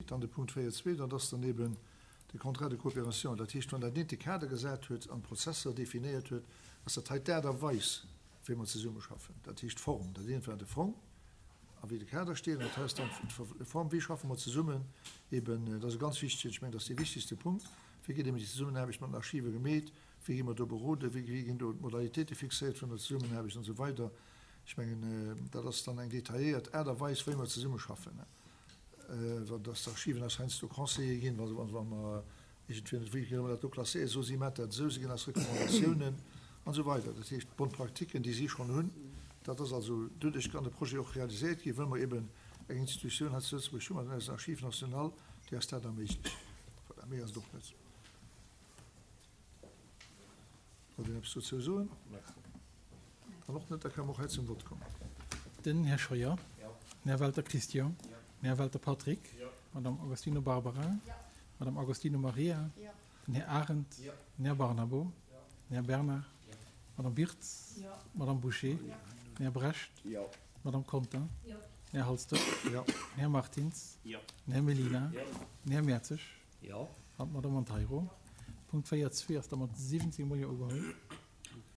Dann de Punkt 4.2, dat ass dann eben de Contrat de coopération. Dat heescht, wann dat eent de Kader gesat huet an d'Prozesser definéiert huet, ass dat hei d'Aart a Weis, wéi mer zesummeschaffen. Dat heescht d'Form. Dat eent war de Fong a wéi de Kader steet, an dat hei ass dann d'Form, wéi schaffe mer zesummen eben. Dat ass e ganz wichtegen, ech mengen, dat ass dee wichtigste Punkt, wéi gëtt eben déi Zesummenaarbecht mat den Archive gemeet, wéi gi mer do beroden, wéi ginn do d'Modalitéite fixéiert vun der Zesummenaarbecht an esou weider. Ech mengen, dat ass dann eng detailléiert Aart a Weis, wéi mer zesummeschaffen. Wa dass d'Archiven eis heiansdo Conseiller ginn, wa wa mer iergendwéi net wéi kënne mer dat do klasséieren, soe si, maacht dat esou, si ginn eis Recommandatiounen an esou weider. Dat heescht, d'Bonnes pratiquen, déi si schonn hunn, dat ass also, doduerch kann de Projet och realiséiert ginn, wëll mer eben eng Institutioun hei zu Lëtzebuerg hunn, mat eisem Archives national, déi eis dat erméiglecht. Voilà, méi ass et och net. Wollt een eppes dozou soen? Dann och net, da kënne mer och hei zum Vott kommen. Den Här Scheuer. Den Här Welter Christian. Den Här Welter Patrick. D'Madame Agostino Barbara. D'Madame Agostino Maria. Den Här Arendt. Den Här Barnabo. Den Här Bernard. D'Madame Wirtz. D'Madame Bouché. Den Här Brecht. D'Madame Conter. Den Här Halsdorf. Den Här Martins. Den Här Mellina. Den Här Mertzig. Jo. An d'Madame Monteiro. Punkt 4, 2 ass da mat 17 mol Jo ugeholl.